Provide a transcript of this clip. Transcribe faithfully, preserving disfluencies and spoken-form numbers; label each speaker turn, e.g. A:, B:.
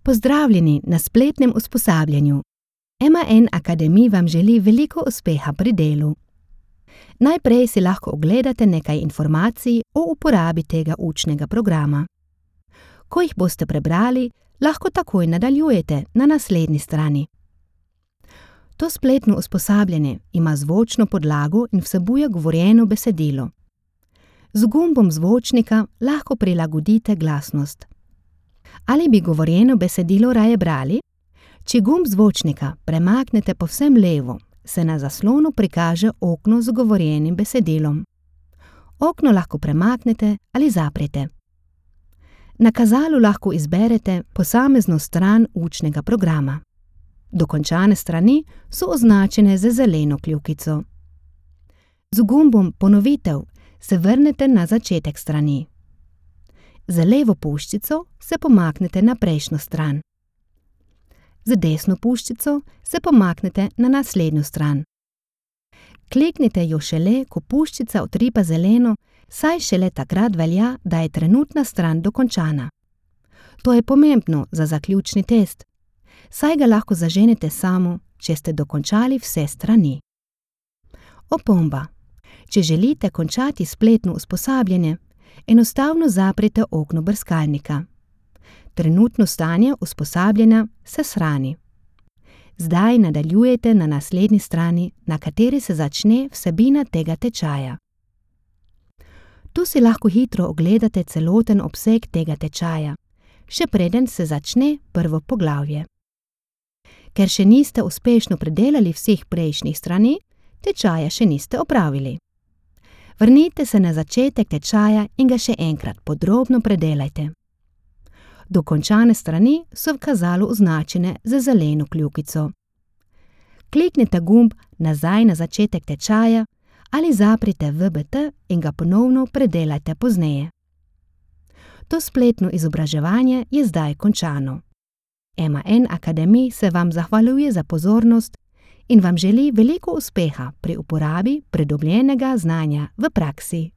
A: Pozdravljeni na spletnem usposabljanju. M A N Academy vam želi veliko uspeha pri delu. Najprej si lahko ogledate nekaj informacij o uporabi tega učnega programa. Ko jih boste prebrali, lahko takoj nadaljujete na naslednji strani. To spletno usposabljanje ima zvočno podlago in vsebuje govorjeno besedilo. Z gumbom zvočnika lahko prilagodite glasnost. Ali bi govorjeno besedilo raje brali? Če gumb zvočnika premaknete povsem levo, se na zaslonu prikaže okno z govorjenim besedilom. Okno lahko premaknete ali zaprete. Na kazalu lahko izberete posamezno stran učnega programa. Dokončane strani so označene z zeleno kljukico. Z gumbom Ponovitev se vrnete na začetek strani. Z levo puščico se pomaknete na prejšnjo stran. Z desno puščico se pomaknete na naslednjo stran. Kliknite jo šele, ko puščica utripa zeleno, saj šele takrat velja, da je trenutna stran dokončana. To je pomembno za zaključni test, saj ga lahko zaženete samo, če ste dokončali vse strani. Opomba: če želite končati spletno usposabljanje, enostavno zaprite okno brskalnika. Trenutno stanje usposabljanja se shrani. Zdaj nadaljujete na naslednji strani, na kateri se začne vsebina tega tečaja. Tu si lahko hitro ogledate celoten obseg tega tečaja, še preden se začne prvo poglavje. Ker še niste uspešno predelali vseh prejšnjih strani, tečaja še niste opravili. Vrnite se na začetek tečaja in ga še enkrat podrobno predelajte. Dokončane strani so v kazalu označene z zeleno kljukico. Kliknite gumb Nazaj na začetek tečaja ali zaprite V B T in ga ponovno predelajte pozneje. To spletno izobraževanje je zdaj končano. M A N Academy se vam zahvaljuje za pozornost in vam želi veliko uspeha pri uporabi pridobljenega znanja v praksi.